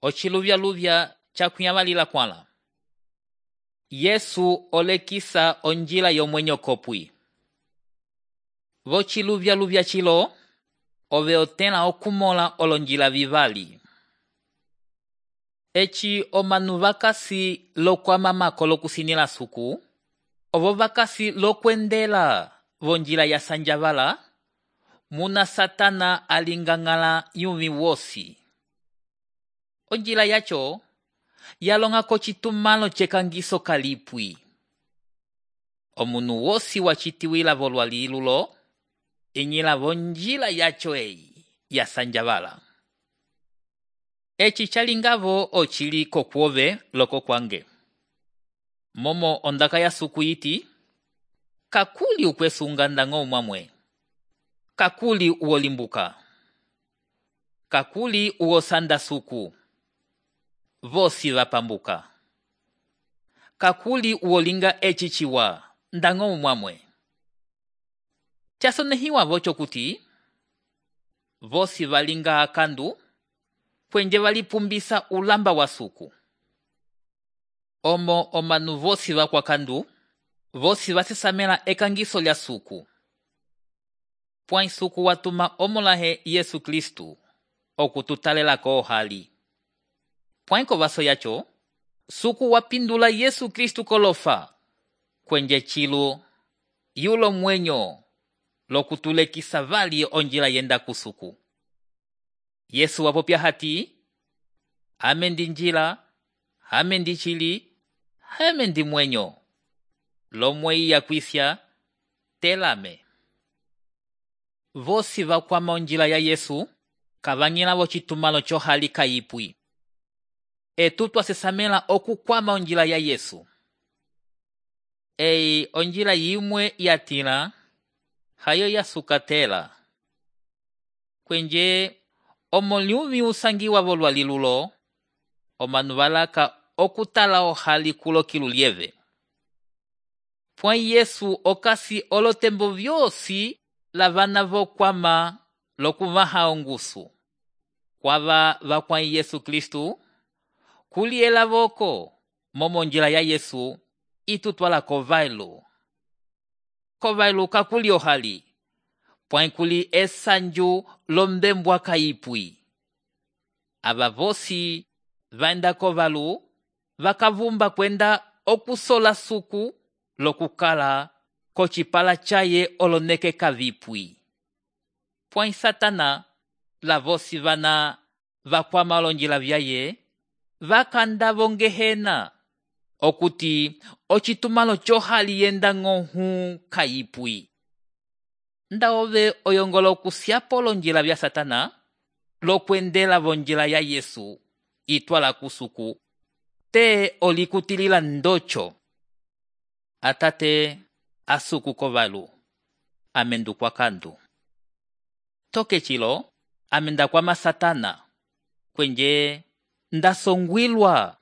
Ociluvya cakunyavalila kwala. Yesu olekisa onjila yomwenyo kopwi. Vociluvya cilo, ove otela okumola olonjila vivali. Eci omanu vakasi lokwamamako lokusinila suku, ovo vakasi lokwendela vonjila ya sanjavala, muna Satana alingangala yumi wosi. Onjila yacho, yalonga kocitumalo cekangiso kalipwi. Omunu wosi wacitiwila volwalilulo, inyila vonjila yacho ya sanjavala. Eci chalingavo ocili kokwove loko kwange. Momo ondaka ya suku iti, kakuli ukwesunga ndango mwamwe. Kakuli uolimbuka. Kakuli uosanda suku. Vosi vapambuka. Kakuli uolinga echichiwa ndango mwamwe. Chasonehiwa vocho kuti, vosi valinga akandu, kwenje valipumbisa ulamba wa suku. Omo omanu vosi vakwa kandu, vosi vasesamela ekangiso lya suku. Pwai suku watuma omolahe Yesu Kristu, okututalela ko hali. Pwai kovaso yacho, suku wapindula Yesu Kristu kolofa, kwenje chilu, yulo mwenyo, lokutulekisa vali onjila yenda kusuku. Yesu wapopya hati, amendi njila, amendi chili, amendi mwenyo. Lomwei ya kwisya, telame. Vosi vakwama onjila ya Yesu, kavanyila vochitumalo chohali kaipwi. Etutu asesamela okukwama onjila ya Yesu. Onjila yimwe yatila, hayo yasukatela. Kwenje, omoliumi usangiwa volwalilulo, omanu valaka okutala ohali kulo kilulieve. Pwai Yesu okasi olotembo vyosi lavana vokwama lokuvaha ongusu. Kwava vakwai Yesu Kristu, kuliela voko, momo njila ya Yesu, itutwala kovailu. Kovailu kakuli ohali, pwai kuli esanju lombembwa kaipwi. Ava vosi vaenda kovalu, vakavumba kwenda okusola suku, lokukala kochipala chaye oloneke kavipwi. Pwai Satana, la vosi vana vakwama olonjila vyaye, vakanda vongehena, okuti ochitumalo chohali yenda ngohu kaipwi. Nda ove oyongola okusiapo olonjila vya Satana, lokwendela vonjila ya Yesu, itwala kusuku, te olikutilila ndocho. Atate asuku kovalu, amendu kwa kandu. Toke chilo, amenda kwa Satana, kwenje ndasongwilwa,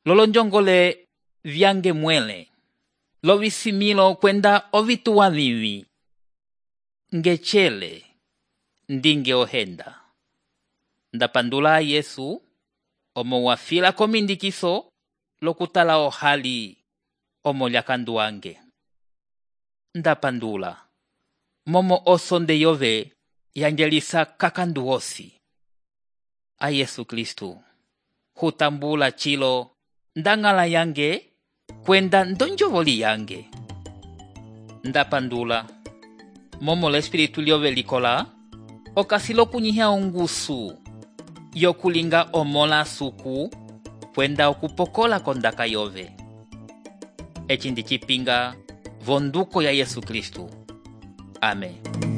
lolonjongole vyange mwele, lovisimilo kwenda ovituwa vivi. Ngechele, ndinge ohenda. Ndapandula Yesu, omo wafila komindikiso, lokutala ohali, omo lyakandu wange. Ndapandula, momo osonde yove, yangelisa kakandu osi. A Yesu Kristu, hutambula chilo, ndangala yange, kwenda ndonjovoli yange. Ndapandula, momo l'espiritu liove likola, okasilo kunyihia ongusu, yokulinga omola suku, kwenda okupokola kondaka yove. Eci ndi chipinga vonduko ya Yesu Kristu. Amen.